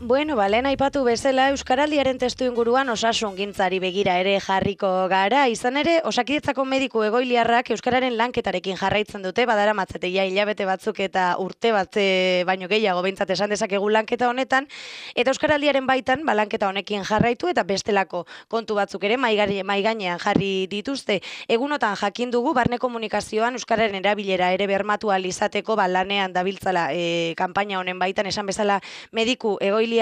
Bueno, lehen aipatu bezala Euskaraldiaren testu inguruan osasungintzari begira ere jarriko gara. Izan ere, Osakidetzako mediku egoiliarrak Euskararen lanketarekin jarraitzen dute, badaramatzate ja hilabete batzuk eta urte bat baino gehiago behintzat esan dezakegu lanketa honetan, eta Euskaraldiaren baitan lanketa honekin jarraitu eta bestelako kontu batzuk ere maigainean jarri dituzte. Egunotan jakin dugu barne komunikazioan Euskararen erabilera ere bermatu ahal izateko lanean dabiltzala kanpaina honen baitan esan bezala mediku egoiliarrak,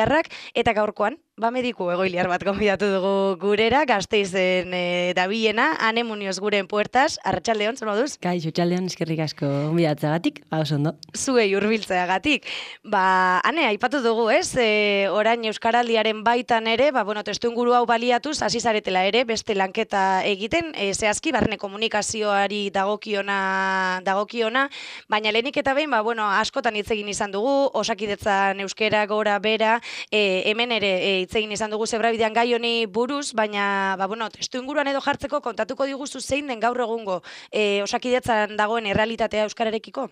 eta gaurkoan, mediku egoiliar bat gonbidatu dugu gurera, Gasteizen dabilena, Ane Munioz guren puertas, arratsaldeon, zer moduz? Kaixo, arratsaldeon, eskerrik asko gonbidatzeagatik, oso ondo. Zuei hurbiltzeagatik. Ane, aipatu dugu, ez? Orain Euskaraldiaren baitan ere, testu inguru hau baliatuz, hasi zaretela ere, beste lanketa egiten, zehazki, barne komunikazioari dagokiona, baina lehenik eta behin, askotan hitz egin izan dugu, Osakidetzan euskera gora bera, hemen ere hitz egin izan dugu zebrabidean gai honi buruz, baina testu inguruan edo jartzeko kontatuko diguzu zein den gaur egungo Osakidetzan dagoen errealitatea euskararekiko?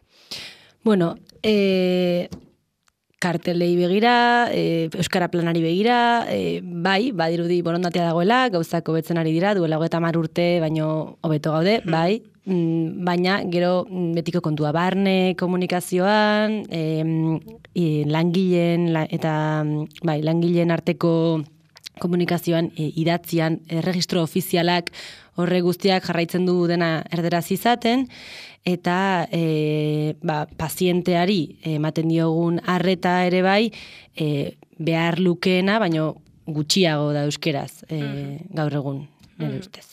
Bueno, kartelei begira, euskara planari begira, badirudi borondatea dagoela, gauzak hobetzen ari dira, duela 30 urte, baino hobeto gaude, bai, baina gero betiko kontua barne komunikazioan, langileen arteko komunikazioan idatzian erregistro ofizialak horre guztiak jarraitzen du dena erderaz izaten, eta pazienteari ematen diogun arreta ere bai behar lukeena, baino gutxiago da euskeraz gaur egun, nire ustez.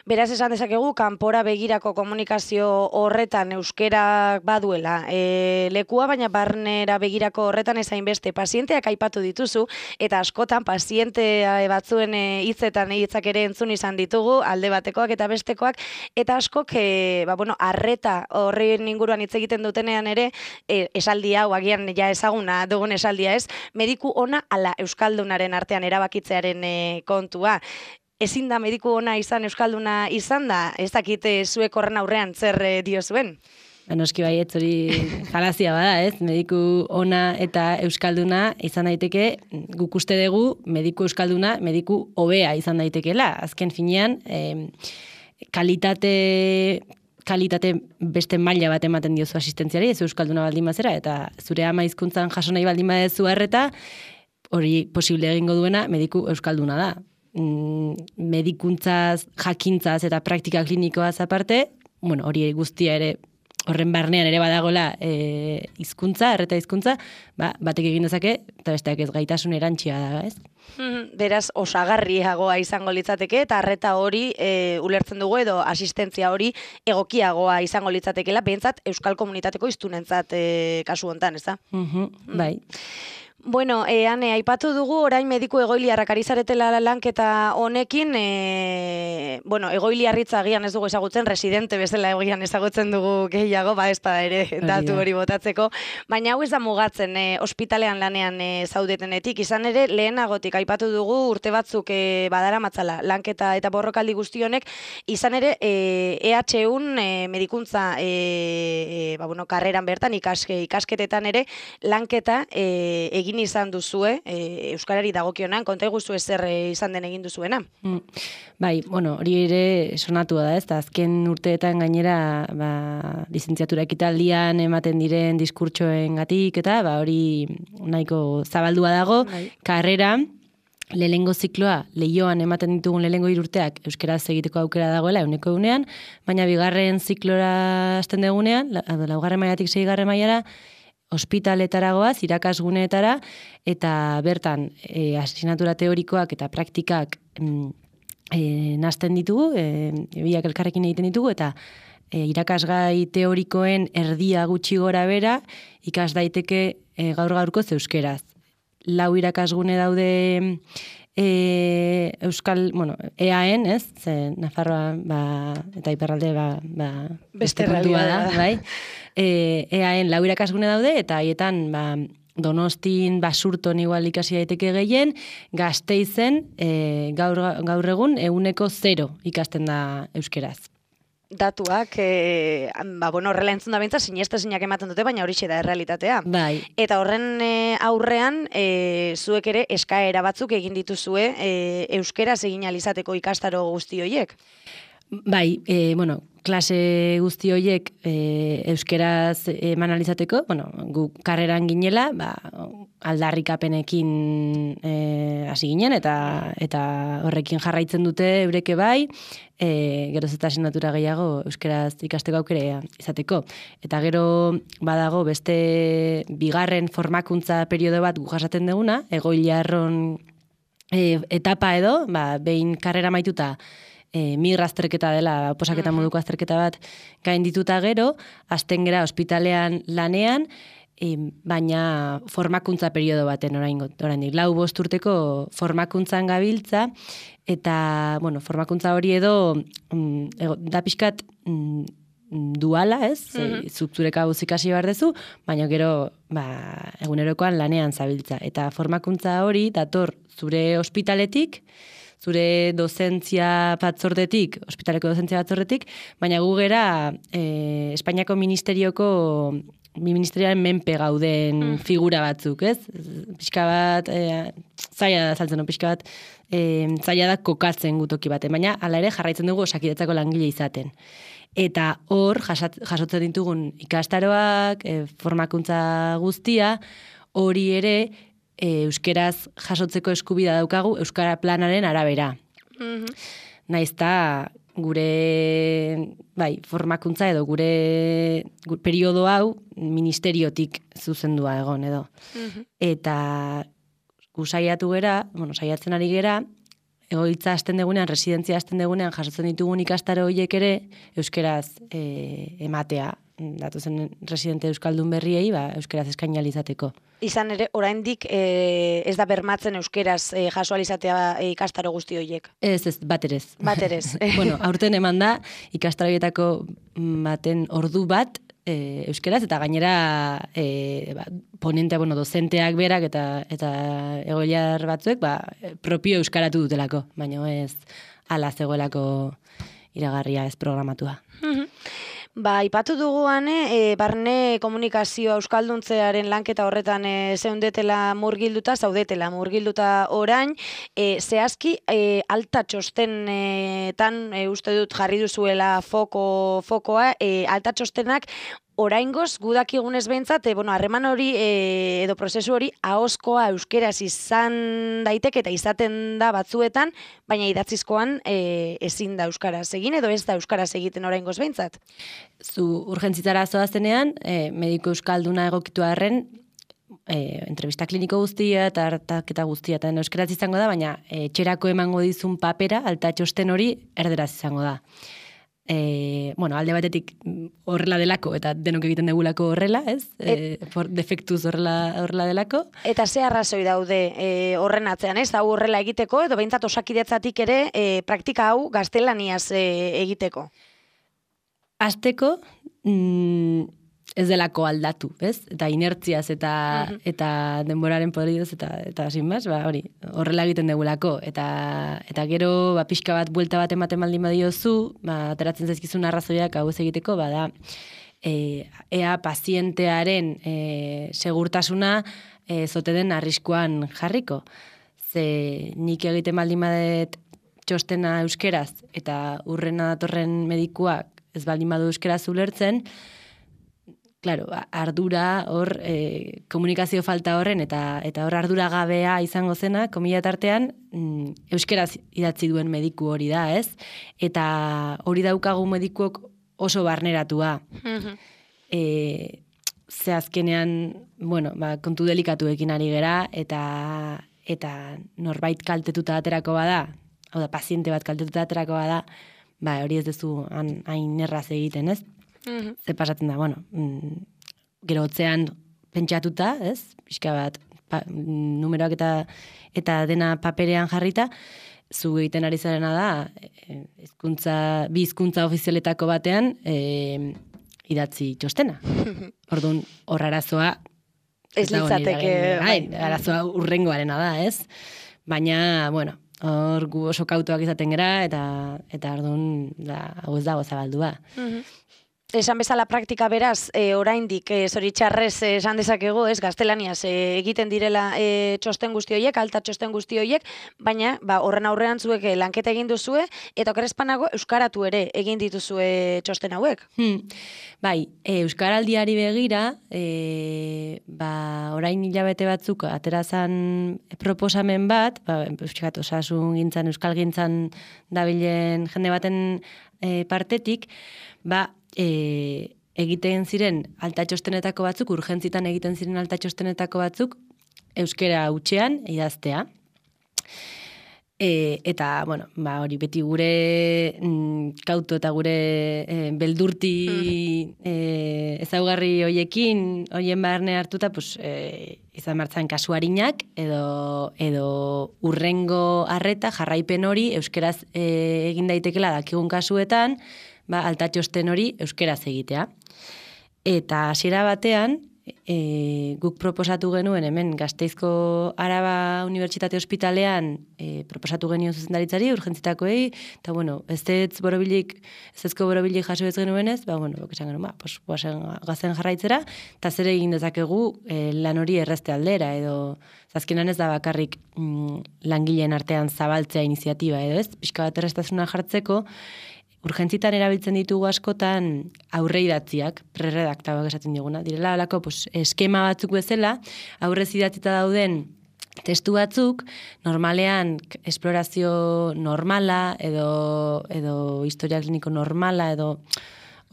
Beraz esan dezakegu, kanpora begirako komunikazio horretan euskerak baduela lekua, baina barnera begirako horretan ezain beste pazienteak aipatu dituzu, eta askotan paziente batzuen hitzak ere entzun izan ditugu, alde batekoak eta bestekoak, eta askok, arreta horren inguruan hitz egiten dutenean ere, esaldi hau, agian ja ezaguna dugun esaldia ez, mediku ona ala euskaldunaren artean erabakitzearen kontua. Ezin da mediku ona izan, euskalduna izan da, ez dakite zuek horren aurrean zer diozuen? Noski bai, ez hori falazia bada, ez? Mediku ona eta euskalduna izan daiteke, guk uste dugu mediku euskalduna, mediku hobea izan daitekeela. Azken finean, kalitate beste maila bat ematen diozu asistentziari, ez euskalduna baldin bazera, eta zure ama hizkuntzan jaso nahi baldin badezu arreta, hori posible egingo duena mediku euskalduna da. Medikuntzaz, jakintzaz eta praktika klinikoaz aparte, hori guztia ere, horren barnean ere badagola hizkuntza, arreta hizkuntza, batek egin dezake, eta besteak ez gaitasun erantsia da, ez? Beraz, osagarriagoa izango litzateke, eta arreta hori ulertzen dugu edo asistentzia hori egokiagoa izango litzatekela, behintzat euskal komunitateko hiztunentzat kasu hontan, ez da? Bai. Bueno, Ane, aipatu dugu orain mediku egoiliarrak ari zaretela lanketa honekin, egoiliarritza agian ez dugu ezagutzen, residente bezala egian ezagutzen dugu gehiago, ez da ere datu hori botatzeko, baina hau ez da mugatzen ospitalean lanean zaudetenetik, izan ere lehenagotik aipatu dugu urte batzuk badaramatzala lanketa eta borrokaldi guztionek, izan ere EH1 medikuntza karreran bertan, ikasketetan ere lanketa egin izan duzue, euskarari dagokionan, konta iguzu ezer izan den egin duzuena? Bai, hori ere sonatua da, ez da, azken urteetan gainera lizentziatura ekitaldian ematen diren diskurtsoen gatik, eta hori nahiko zabaldua dago, karrera, lehengo zikloa, lehioan ematen ditugun lehengo 3 urteak euskeraz egiteko aukera dagoela, 100%, baina bigarren ziklora hasten dugunean, laugarren mailatik 6. mailara, ospitaletaragoaz, irakasguneetara, eta bertan asignatura teorikoak eta praktikak nazten ditugu, biak elkarrekin egiten ditugu, eta irakasgai teorikoen erdia gutxi gora bera, ikas daiteke gaur-gaurko euskeraz. 4 irakasgune daude EAN, ez? Nafarroa eta iparralde beste kontua da, bai? EAN 4 irakasgune daude, eta haietan Donostin, Basurton igual ikasi daiteke gehien, Gasteizen gaur egun 100% ikasten da euskeraz. datuak, horrela entzun da bintza, sinestezinak ematen dute, baina horixe da errealitatea. Bai. Eta horren aurrean, zuek ere eskaera batzuk egin dituzue euskeraz egin alizateko ikastaro guzti horiek. Bai, klase guzti horiek euskeraz eman alizateko, gu karreran ginela, aldarrikapenekin hasi ginen, eta horrekin jarraitzen dute eureke bai, geroz eta asignatura gehiago euskeraz ikasteko aukera izateko. Eta gero badago beste bigarren formakuntza periodo bat gu jasaten duguna, egoiliarron etapa edo, behin karrera maituta, migra azterketa dela, oposaketa moduko azterketa bat gain dituta gero, hasten gera ospitalean lanean, baina formakuntza periodo baten oraindik 4-5 urteko formakuntzan gabiltza, eta, formakuntza hori edo, da pixkat duala, ez? Zure kabuz ikasi behar dezu, baina gero, egunerokoan lanean zabiltza. Eta formakuntza hori dator zure ospitaletik, zure dozentzia batzordetik, ospitaleko dozentzia batzordetik, baina gu gera Espainiako ministerioaren menpe gauden figura batzuk, ez? Pixka bat, zaila da saltzen, pixka bat, zaila da kokatzen gutoki baten, baina hala ere jarraitzen dugu Osakidetzako langile izaten. Eta hor, jasotzen ditugun ikastaroak, formakuntza guztia, hori ere, euskeraz jasotzeko eskubida daukagu euskara planaren arabera. Naizta gure formakuntza edo gure periodo hau ministeriotik zuzendua egon edo. Eta gu saiatu gera, saiatzen ari gera, egoitza hasten degunean, residentzia hasten degunean jasotzen ditugun ikastaro horiek ere euskeraz ematea. Datuzen residente euskaldun berriei, euskeraz eskaini izateko. Izan ere, oraindik ez da bermatzen euskeraz jaso izatea ikastaro guzti horiek. Ez, baterez. Baterez. Aurten eman da, ikastaroietako baten ordu bat euskeraz, eta gainera ponentea, dozenteak berak eta egoiliar batzuek, propio euskaratu dutelako, baina ez ala zegoelako iragarria ez programatua. Ipatu duguan, barne komunikazioa euskalduntzearen lanketa horretan zaudetela murgilduta orain, zehazki alta txostenetan uste dut jarri duzuela fokoa, alta txostenak oraingoz gudakigunez behintzat, harreman hori edo prozesu hori ahozkoa euskeraz izan daiteke eta izaten da batzuetan, baina idatzizkoan ezin da euskaraz egin edo ez da euskaraz egiten oraingoz behintzat. Zu urgentzitara zoazenean, mediko euskalduna egokitu arren, entrevista kliniko guztia eta hartaketa guztia eta euskaraz izango da, baina etxerako emango dizun papera, alta txosten hori erderaz izango da. Alde batetik horrela delako, eta denok egiten degulako horrela, ez? Defektuz horrela delako. Eta ze arrazoi daude horren atzean, ez? Hau horrela egiteko, edo behintzat Osakidetzatik ere praktika hau gaztelaniaz egiteko? Hasteko, ez delako aldatu, ez? Eta inertziaz eta denboraren poderidoz eta sinbaz, hori, horrela egiten degulako. Eta gero, pixka bat, buelta bat ematen baldin badiozu, ateratzen zaizkizun arrazoiak hau ez egiteko, da, ea pazientearen segurtasuna zote den arriskuan jarriko. Ze nik egiten baldin badet txostena euskeraz, eta urrena datorren medikuak ez baldin badu euskeraz ulertzen, claro, ardura hor komunikazio falta horren eta hor ardura gabea izango zena, komila tartean, euskeraz idatzi duen mediku hori da, ez? Eta hori daukagu medikuok oso barneratua. Ze azkenean, kontu delikatuekin ari gera, eta norbait kaltetuta aterako bada, hau da, paziente bat kaltetuta aterako bada, hori ez dezu hain erraz egiten, ez? Ze pasatzen da, gero hotzean pentsatuta, ez? Pixka bat, numeroak eta dena paperean jarrita, zu egiten ari zarena da, bi hizkuntza ofizialetako batean, idatzi txostena. Orduan, hor arazoa, ez litzateke, arazoa urrengoarena da, ez? Baina, hor gu oso kautuak izaten gera, eta orduan, hau ez dago zabaldua. Esan bezala praktika beraz, oraindik zoritxarrez esan dezakegu, gaztelaniaz egiten direla txosten guzti horiek, alta txosten guzti horiek, baina horren aurrean zuek lanketa egin duzue, eta okerrezpanago euskaratu ere egin dituzue txosten hauek. Bai, euskaraldiari begira, orain hilabete batzuk aterazan proposamen bat, osasun gintzan, euskal gintzan dabilen jende baten partetik, egiten ziren alta txostenetako batzuk, urgentzitan egiten ziren alta txostenetako batzuk, euskera hutsean idaztea. Eta, hori beti gure kautu eta gure beldurti ezaugarri hoien barne hartuta, izan martzan kasuarinak, edo urrengo arreta jarraipen hori euskeraz egin daitekela dakigun kasuetan, alta txosten hori euskeraz egitea. Eta hasiera batean, guk proposatu genuen hemen Gasteizko Araba Unibertsitate Ospitalean proposatu genion zuzendaritzari, urgentzitakoei, eta ezezko borobilik jaso ez genuenez, esan genuen, gazen jarraitzera, eta zer egin dezakegu lan hori errezte aldera, edo azkenan ez da bakarrik langileen artean zabaltzea iniziatiba, edo ez, pixka bat erreztasuna jartzeko, urgentzitan erabiltzen ditugu askotan aurre idatziak, preredaktauak esaten diguna. Direla alako eskema batzuk bezala, aurrez idatzita dauden testu batzuk, normalean esplorazio normala, edo historia kliniko normala, edo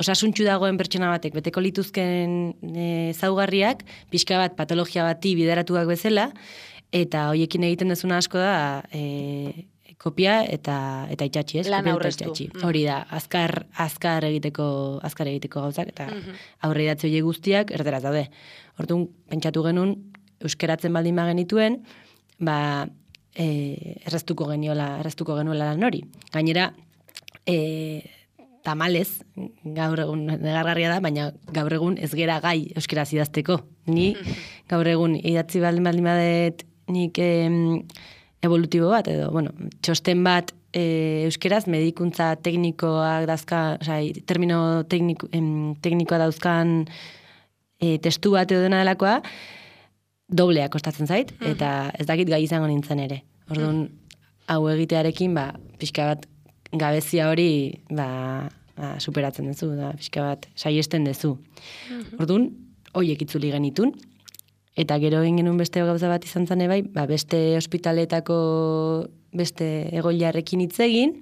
osasuntxu dagoen pertsona batek beteko lituzken zaugarriak, pixka bat patologia bati bideratuak bezala, eta hoiekin egiten dezuna asko da kopia eta itxatxi, ez? Lan aurreztu. Hori da, azkar egiteko gauzak, eta aurre idatzi horiek guztiak erderaz daude. Orduan, pentsatu genuen, euskeratzen baldin bagenituen, erraztuko genuela lan hori. Gainera, tamalez, gaur egun negargarria da, baina gaur egun ez gera gai euskeraz idazteko. Ni gaur egun idatzi baldin badet nik evolutibo bat, edo, txosten bat euskeraz, medikuntza teknikoak dazka, termino teknikoa dauzkan testu bat edo dena delakoa, doblea kostatzen zait, eta ez dakit gai izango nintzen ere. Orduan, hau egitearekin, pixka bat gabezia hori superatzen duzu, pixka bat saiesten duzu. Orduan, horiek itzuli genitun, eta gero egin genuen beste gauza bat izan zane bai, beste ospitaletako beste egoilarrekin hitz egin.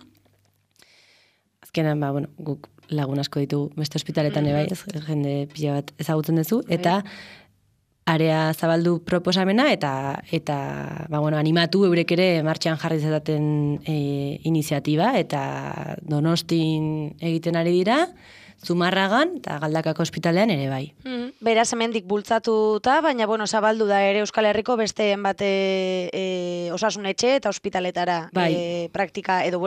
Azkenan, guk lagun asko ditugu beste ospitaletan bai, jende pila bat ezagutzen duzu, eta area zabaldu proposamena, eta animatu eurek ere martxan jarri zetaten iniziatiba, eta Donostin egiten ari dira, Zumarragan eta Galdakako ospitalean ere bai. Beraz hemendik bultzatuta, baina zabaldu da ere Euskal Herriko beste bate osasun etxe eta ospitaletara praktika edo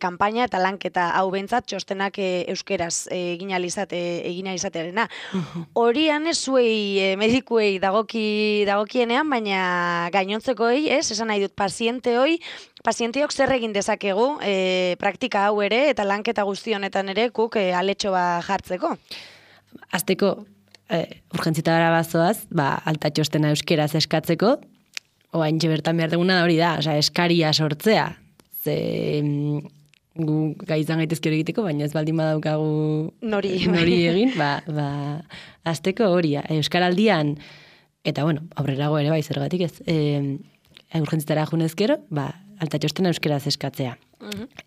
kanpaina eta lanketa hau bentzat txostenak euskeraz egina izatearena. Horian ez zuei medikuei dagokienean, baina gainontzekoei, esan nahi dut pazienteok zer egin dezakegu praktika hau ere eta lanketa guzti honetan ere guk aletxo jartzeko. Azteko, urgentzitara bazoaz, alta txostena euskeraz eskatzeko, oain bertan behar duguna hori da, eskaria sortzea. Ze gu gai izan gaitezke hori egiteko, baina ez baldin badaukagu nori egin, azteko hori, euskaraldian, eta aurrerago ere bai zergatik ez, urgentzitara junezkero, alta txostena euskeraz eskatzea.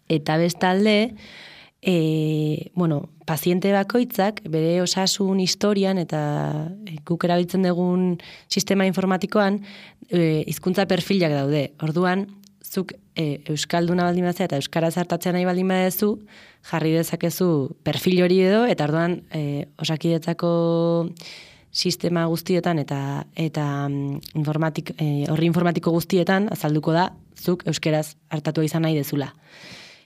Eta bestalde, paziente bakoitzak bere osasun historian eta guk erabiltzen dugun sistema informatikoan hizkuntza perfilak daude. Orduan, zuk euskalduna baldin bazea eta euskaraz hartatzen nahi baldin badezu, jarri dezakezu perfil hori edo, eta orduan Osakidetzako sistema guztietan eta horri informatiko guztietan azalduko da zuk euskeraz hartatu izan nahi dezula.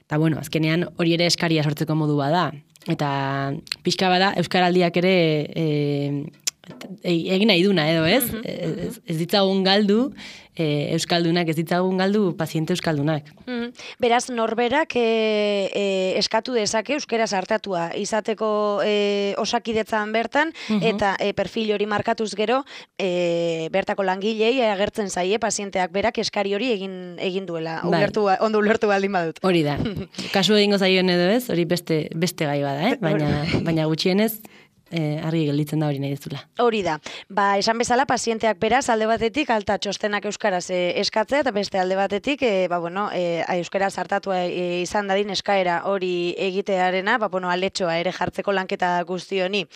Eta azkenean hori ere eskaria sortzeko modua da. Eta pixka bada, euskaraldiak ere egin nahi duna edo, ez? Ez ditzagun galdu, euskaldunak, ez ditzagun galdu paziente euskaldunak. Beraz, norberak eskatu dezake euskeraz hartatua izateko osakidetzan bertan, eta perfil hori markatuz gero, bertako langilei agertzen zaie pazienteak berak eskari hori egin duela. Ondo ulertu baldin badut. Hori da. Kasu egingo zaioen edo ez, hori beste gai bada, baina gutxienez, argi gelditzen da hori nahi dezula. Hori da. Esan bezala, pazienteak beraz, alde batetik, alta txostenak euskaraz eskatzea, eta beste alde batetik, euskaraz hartatua izan dadin eskaera hori egitearena, aletxoa ere jartzeko lanketa guzti honi.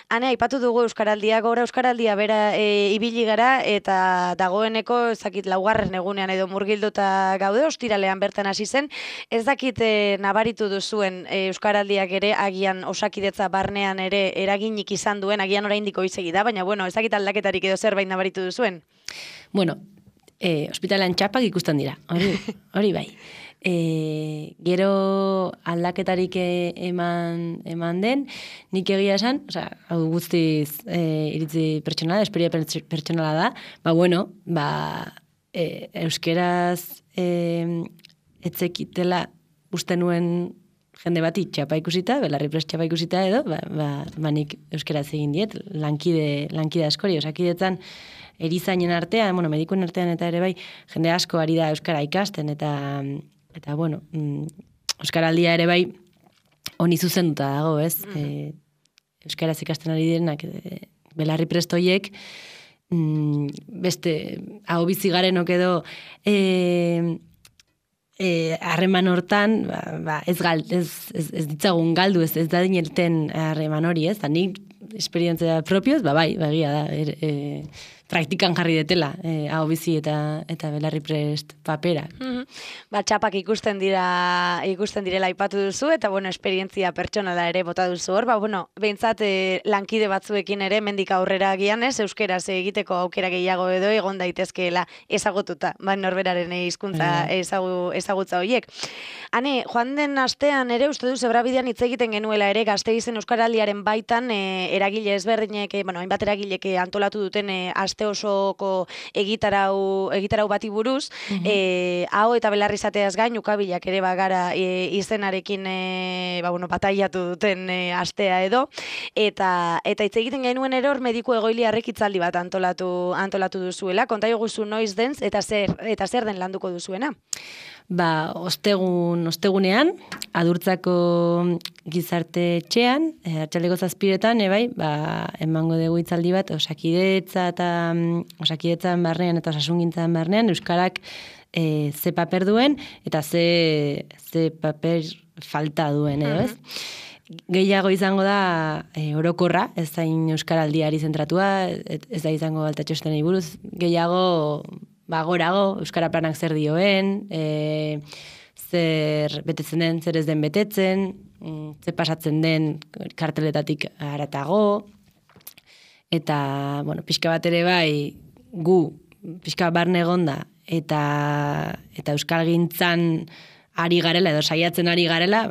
Hane, aipatu dugu euskaraldia, gora euskaraldia bera ibili gara, eta dagoeneko, ezakit, laugarren egunean edo murgilduta gaude, ostiralean bertan hasi zen, ez dakit nabaritu duzuen euskaraldiak ere, agian osakidetza barnean ere eraginik izan duen, agian oraindik goizegi da, baina ez dakit aldaketarik edo zerbait nabaritu duzuen. Bueno, ospitalean txapak ikusten dira, hori bai. Gero aldaketarik eman den, nik egia esan, hau guztiz iritzi pertsonala, esperia pertsonala da, euskeraz etzekitela uste nuen jende bati txapa ikusita, belarri prest txapa ikusita edo, nik euskeraz egin diet, lankide askori, osakidetzan erizainen artean, medikuen artean eta ere bai, jende asko ari da euskara ikasten, eta euskaraldia ere bai, honi zuzenduta dago, ez? Euskaraz ikasten ari direnak, belarri prest hoiek, beste, hau bizi garenok edo, harreman hortan, ez ditzagun galdu, ez da dinelten harreman hori, ez? Da nik esperientzia propioz, bai, egia da, praktikan jarri detela, hau bizi eta belarri prest papera. Txapak ikusten direla aipatu duzu, eta esperientzia pertsonala ere bota duzu hor, behintzat lankide batzuekin ere, mendik aurrera agian ez, euskeraz egiteko aukera gehiago edo egon daitezkeela ezagututa, norberaren hizkuntza ezagutza horiek. Hane, joan den astean ere, uste du Zebrabidean hitz egiten genuela ere, Gasteizen euskaraldiaren baitan, eragile ezberdinek, hainbat eragilek antolatu duten aste osoko egitarau bati buruz, hau eta belarri izateaz gain, ukabilak ere bagara izenarekin bataiatu duten astea edo, eta hitz egiten genuen eror mediku egoiliarrek hitzaldi bat antolatu duzuela, konta joguzu noiz den, eta zer den landuko duzuena? Ostegunean, Adurtzako gizarte etxean, Arratsaldeko 7:00 emango dugu hitzaldi bat, osakidetzan barnean eta osasungintzan barnean, euskarak ze paper duen, eta ze paper falta duen, edo ez? Gehiago izango da orokorra, ez da euskaraldiari zentratua, ez da izango alta txostenei buruz, gehiago gorago, euskara planak zer dioen, zer betetzen den, zer ez den betetzen, zer pasatzen den karteletatik haratago, eta, pixka bat ere bai, gu, pixka barne egonda, eta euskalgintzan ari garela, edo saiatzen ari garela,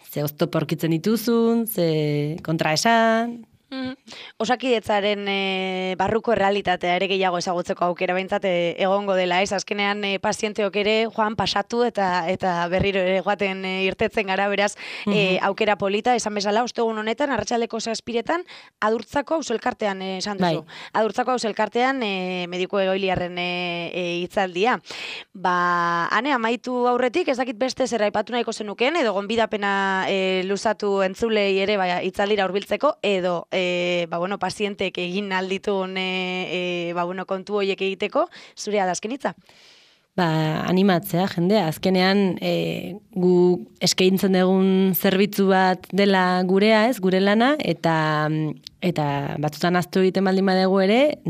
ze oztopo aurkitzen dituzun, ze kontraesan. Osakidetzaren barruko errealitatea ere gehiago ezagutzeko aukera behintzat egongo dela, ez? Azkenean pazienteok ere joan pasatu eta berriro ere joaten irtetzen gara, beraz, aukera polita, esan bezala, ostegun honetan, Arratsaldeko 7:00 Adurtzako auzoelkartean esan duzu. Adurtzako auzoelkartean mediku egoiliarren hitzaldia. Hane, amaitu aurretik, ez dakit beste zer aipatu nahiko zenukeen, edo gonbidapena luzatu entzulei ere hitzaldira hurbiltzeko, edo pazientek egin alditun kontu horiek egiteko, zurea da azken hitza? Animatzea, jendea. Azkenean, gu eskaintzen dugun zerbitzu bat dela gurea, ez, gure lana, eta batzutan aztu egiten baldin badugu ere,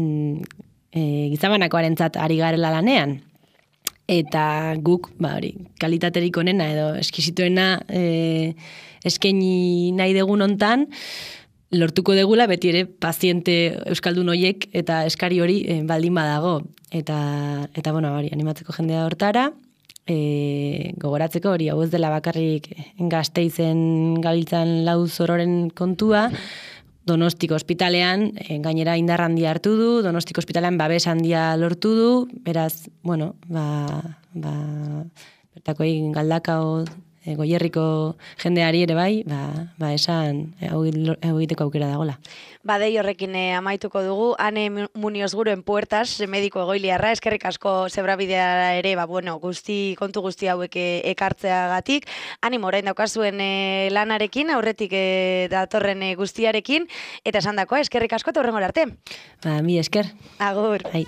gizabanakoarentzat ari garela lanean. Eta guk, kalitaterik onena edo eskizituena eskaini nahi dugun hontan, lortuko degula beti ere paziente euskaldun hoiek eta eskari hori baldin badago. Eta animatzeko jendea hortara, gogoratzeko hori, hau ez dela bakarrik Gasteizen gabiltzan lau zororen kontua, Donostiko ospitalean, gainera indar handia hartu du, Donostiko ospitalean babes handia lortu du, beraz, bueno, bertakoi Galdakao, Goierriko jendeari ere bai, esan hau egiteko aukera dagola. Badei horrekin amaituko dugu, Ane Munioz Guruen Puertas, mediko egoiliarra, eskerrik asko zebrabidea ere, kontu guzti hauek ekartzeagatik. Animo orain daukazuen lanarekin, aurretik datorren guztiarekin, eta esan dakoa, eskerrik asko eta hurrengora arte. Mi esker. Agur. Bai.